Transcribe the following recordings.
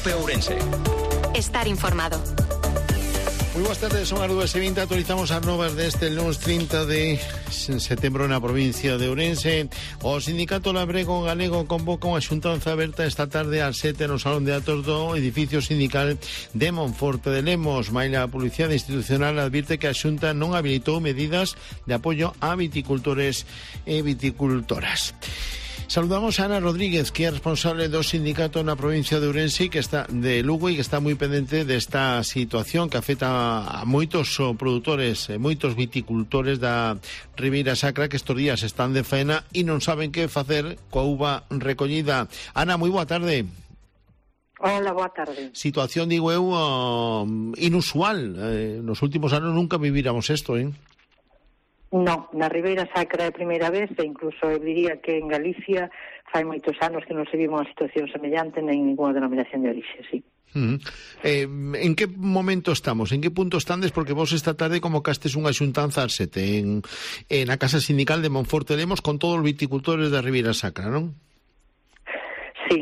COPE Ourense. Estar informado. Moi boas tardes, son as 2:20, actualizamos as novas deste lunes 30 de setembro na provincia de Ourense. O Sindicato Labrego Galego convoca unha xuntanza aberta esta tarde ás 7 no Salón de Atos do edificio sindical de Monforte de Lemos. Maila a Policía Institucional advirte que a Xunta non habilitou medidas de apoio a viticultores e viticultoras. Saludamos a Ana Rodríguez, que é responsable do sindicato na provincia de Ourense, que está de Lugo e que está moi pendente desta situación que afecta a moitos produtores e moitos viticultores da Ribeira Sacra que estes días están de faena e non saben que facer coa uva recollida. Ana, moi boa tarde. Hola, boa tarde. Situación, digo eu, inusual. Nos últimos anos nunca viviramos isto, Non, na Ribeira Sacra é a primeira vez e incluso eu diría que en Galicia fai moitos anos que non se vive unha situación semellante nen ninguna denominación de orixe, sí. En que momento estamos? En que punto estades? Porque vos esta tarde convocastes unha xuntanza ás 7 na Casa Sindical de Monforte de Lemos con todos os viticultores da Ribeira Sacra, non? Sí,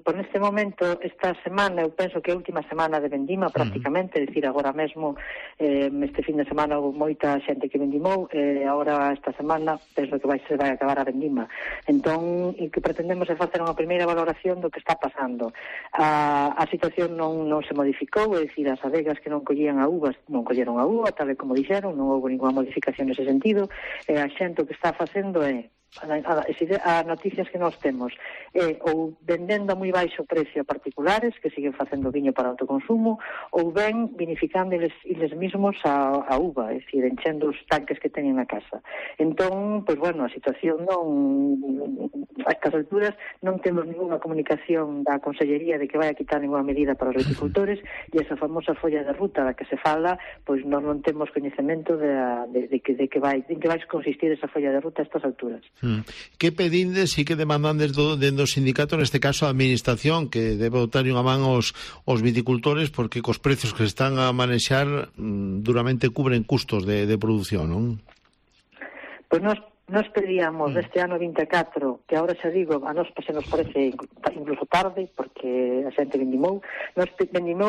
por neste momento, esta semana, eu penso que é a última semana de vendima prácticamente, é dicir, agora mesmo este fin de semana houve moita xente que vendimou, agora esta semana penso que vai acabar a vendima. Entón, o que pretendemos é facer unha primeira valoración do que está pasando. A situación non se modificou, é dicir, as adegas que non collían a uvas, non colleron a uva, tal e como dixeron, non houve ninguna modificación nese sentido, a xente o que está facendo é as noticias que nós temos ou vendendo a moi baixo precio a particulares que siguen facendo viño para autoconsumo ou ben vinificando eles mesmos a uva, é dicir, enchendo os tanques que teñen na casa. Entón, pois bueno, a situación a estas alturas non temos ninguna comunicación da Consellería de que vai a quitar ninguna medida para os viticultores e esa famosa folla de ruta da que se fala, pois nós non temos coñecemento de que vai consistir esa folla de ruta a estas alturas. Que pedindes e que demandandes do sindicato, neste caso a administración, que debe botar unha man aos viticultores porque cos precios que se están a manexar duramente cubren custos de produción, non? Pois nos pedíamos este ano 24, que agora xa digo, a nos se nos parece incluso tarde, porque a xente vendimou,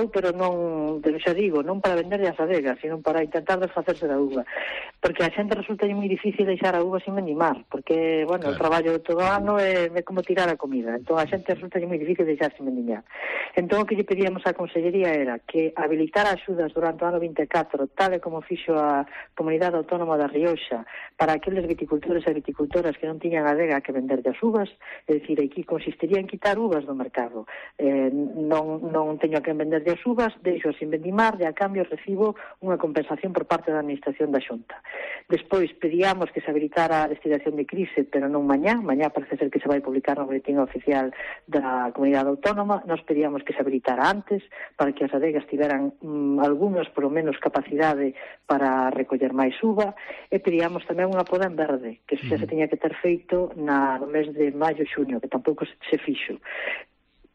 pero non, pero xa digo, non para vender as adegas, sino para intentar desfacerse da uva, porque a xente resulta moi difícil deixar a uva sin vendimar, porque, bueno, claro, o traballo de todo o ano é como tirar a comida, entón a xente resulta moi difícil deixar sin vendimar. Entón o que lle pedíamos á Consellería era que habilitara axudas durante o ano 24, tal e como fixo a Comunidade Autónoma da Rioxa, para aqueles viticultores e viticultoras que non tiñan adega que vender das uvas, é dicir, aquí consistiría en quitar uvas do mercado. Non teño que vender das uvas, deixo sin vendimar e a cambio recibo unha compensación por parte da Administración da Xunta. Despois pedíamos que se habilitara a destilación de crise, pero non mañá parece ser que se vai publicar no boletín oficial da Comunidade Autónoma, nos pedíamos que se habilitara antes para que as adegas tiveran algunhas, por lo menos, capacidade para recoller máis uva, e pedíamos tamén unha poda en verde, que xa se teña que ter feito no mes de maio e xuño, que tampouco se fixo.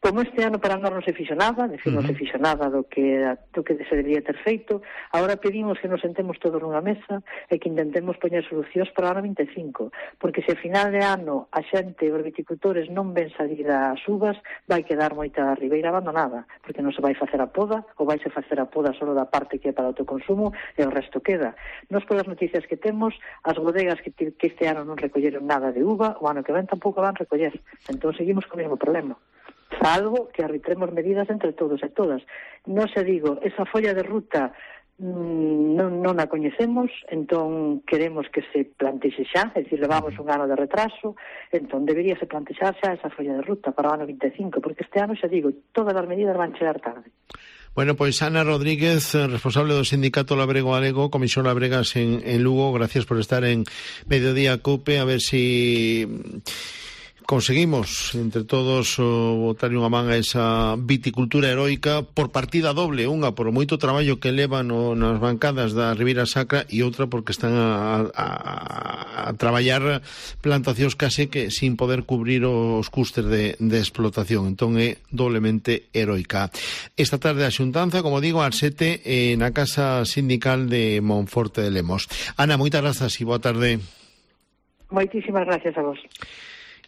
Como este ano para nós non se fixo nada, non se fixo nada do que se debería ter feito, agora pedimos que nos sentemos todos nunha mesa e que intentemos poñer solucións para o ano 25, porque se a final de ano a xente, os viticultores, non ven salir as uvas, vai quedar moita ribeira abandonada, porque non se vai facer a poda, ou vai se facer a poda só da parte que é para o autoconsumo e o resto queda. Nos polas noticias que temos, as bodegas que este ano non recolleron nada de uva, o ano que ven tampouco van recoller. Entón seguimos co mesmo problema, salvo que arbitremos medidas entre todos e todas. Non se digo, esa folla de ruta non a coñecemos, entón queremos que se plantexe xa, é dicir, levamos un ano de retraso, entón deberíase plantexar xa esa folla de ruta para o ano 25, porque este ano, xa digo, todas as medidas van chegar tarde. Bueno, pois Ana Rodríguez, responsable do Sindicato Labrego Galego, Comisión Labregas en Lugo, gracias por estar en Mediodía Cope, a ver si conseguimos entre todos botar unha man a esa viticultura heroica por partida doble, unha por moito traballo que levan nas bancadas da Ribeira Sacra e outra porque están a traballar plantacións case que sin poder cubrir os custes de explotación, entón é doblemente heroica. Esta tarde a xuntanza, como digo, ás 7 na Casa Sindical de Monforte de Lemos. Ana, moitas grazas e boa tarde. Moitísimas gracias a vos.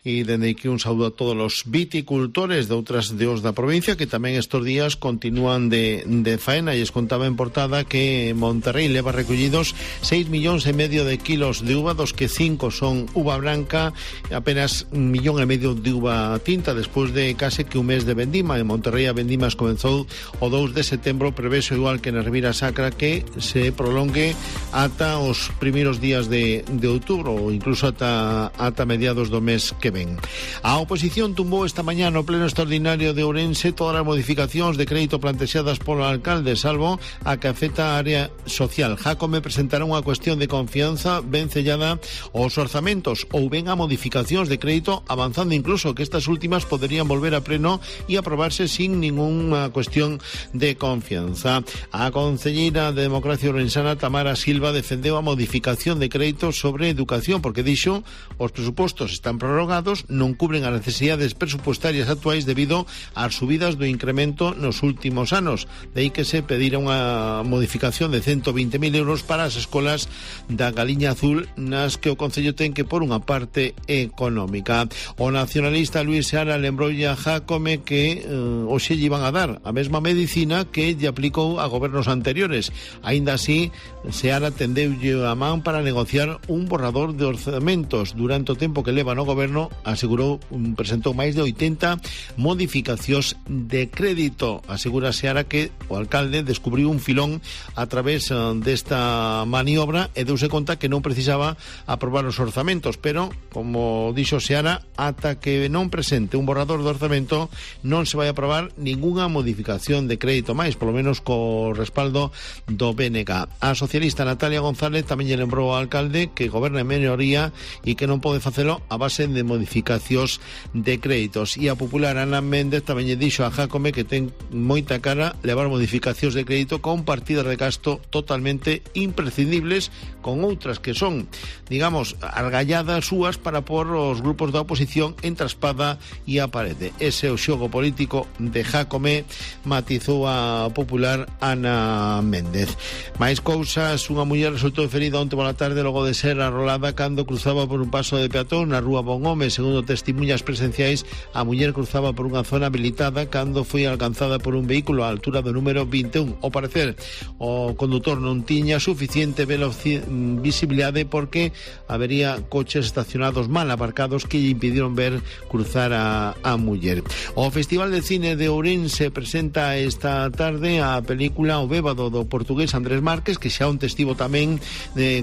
e dende aquí un saúdo a todos os viticultores de outras deos da provincia que tamén estes días continúan de faena, e es contaba en portada que Monterrey leva recollidos 6,5 millóns de kilos de uva, dos que 5 son uva branca e apenas 1,5 millón de uva tinta despois de case que un mes de vendima. En Monterrey a vendimas comenzou o 2 de setembro, preveso igual que na Ribera Sacra que se prolongue ata os primeiros días de outubro ou incluso ata mediados do mes que ven. A oposición tumbou esta mañá no pleno extraordinario de Ourense todas as modificacións de crédito plantexadas polo alcalde, salvo a que afecta a área social. Jácome presentará unha cuestión de confianza ben sellada aos orzamentos ou ben a modificacións de crédito, avanzando incluso que estas últimas poderían volver a pleno e aprobarse sin ninguna cuestión de confianza. A concelleira de Democracia Ourensana, Tamara Silva, defendeu a modificación de crédito sobre educación porque dixo os presupostos están prorrogados, non cubren as necesidades presupuestarias actuais debido ás subidas do incremento nos últimos anos. De aí que se pedira unha modificación de 120.000 euros para as escolas da Galiña Azul, nas que o Concello ten que por unha parte económica. O nacionalista Luis Seara lembroulle a Jácome que hoxe lle iban a dar a mesma medicina que lle aplicou a gobernos anteriores. Aínda así, Seara tendeulle a man para negociar un borrador de orzamentos. Durante o tempo que leva no goberno, asegurou, presentou máis de 80 modificacións de crédito. Asegura Seara que o alcalde descubriu un filón a través desta maniobra e deuse conta que non precisaba aprobar os orzamentos, pero, como dixo Seara, ata que non presente un borrador de orzamento non se vai aprobar ningunha modificación de crédito máis, polo menos co respaldo do BNG. A socialista Natalia González tamén lle lembrou ao alcalde que goberna en minoría e que non pode facelo a base de modificacións de créditos. E a popular Ana Méndez tamén lle dixo a Jácome que ten moita cara levar modificacións de crédito con partidas de gasto totalmente imprescindibles, con outras que son, digamos, argalladas súas para pôr os grupos da oposición entre a espada e a parede. Ese é o xogo político de Jácome, matizou a popular Ana Méndez. Máis cousas, unha muller resultou ferida onte pola tarde logo de ser arrolada cando cruzaba por un paso de peatón na rúa Bonhome. Segundo testemunhas presenciais, a muller cruzaba por unha zona habilitada cando foi alcanzada por un vehículo á altura do número 21. Ao parecer, o condutor non tiña suficiente visibilidade porque habería coches estacionados mal aparcados que lle impidieron ver cruzar a muller. O Festival de Cine de Ourense presenta esta tarde a película O Bébado do portugués Andrés Márquez, que xa onte estivo tamén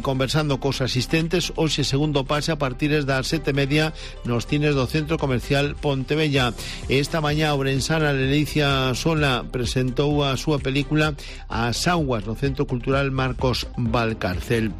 conversando cos asistentes. Hoxe segundo pase a partir das 7:30 nos cines do Centro Comercial Pontevella. Esta mañá ourensana Lelicia Sola presentou a súa película As Augas no Centro Cultural Marcos Valcárcel.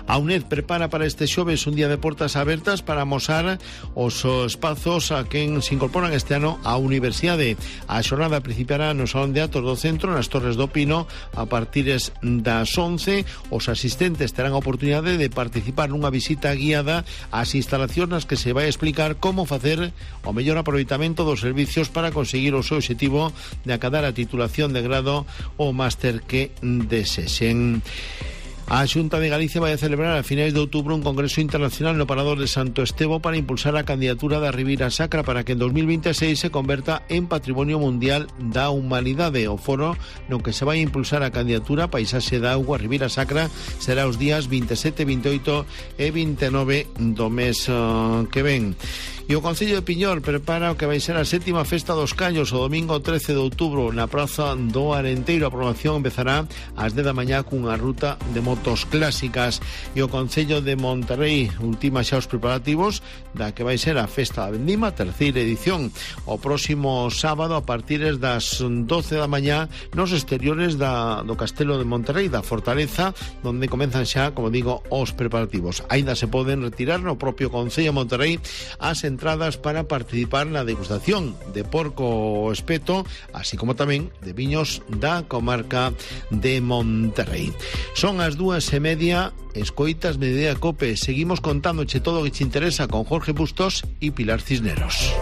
A UNED prepara para este xoves un día de portas abertas para amosar os espazos a quen se incorporan este ano á universidade. A xornada principiará no Salón de Atos do Centro, nas Torres do Pino, a partir das 11. Os asistentes terán a oportunidade de participar nunha visita guiada ás instalacións nas que se vai explicar como facer o mellor aproveitamento dos servicios para conseguir o seu obxectivo de acadar a titulación de grado ou máster que desexen. A Xunta de Galicia vai a celebrar a finais de outubro un congreso internacional no Parador de Santo Estevo para impulsar a candidatura da Ribera Sacra para que en 2026 se converta en Patrimonio Mundial da Humanidade. O foro no que se vai impulsar a candidatura Paisaxe da Auga Ribera Sacra será os días 27, 28 e 29 do mes que ven. E o Concello de Piñor prepara o que vai ser a 7ª Festa dos Callos o domingo 13 de outubro na Praza do Arenteiro. A programación empezará ás 10 da mañá cunha ruta de motos clásicas. E o Concello de Monterrey ultima xa os preparativos da que vai ser a Festa da Vendima, terceira edición, o próximo sábado a partir das 12 da mañá nos exteriores do Castelo de Monterrey, da Fortaleza, onde comenzan xa, como digo, os preparativos. Ainda se poden retirar no propio Concello de Monterrey as entradas para participar na degustación de porco espeto, así como tamén de viños da comarca de Monterrey. Son as 2:30, escoitas Mediodía Cope. Seguimos contándoche todo o que te interesa con Jorge Bustos e Pilar Cisneros.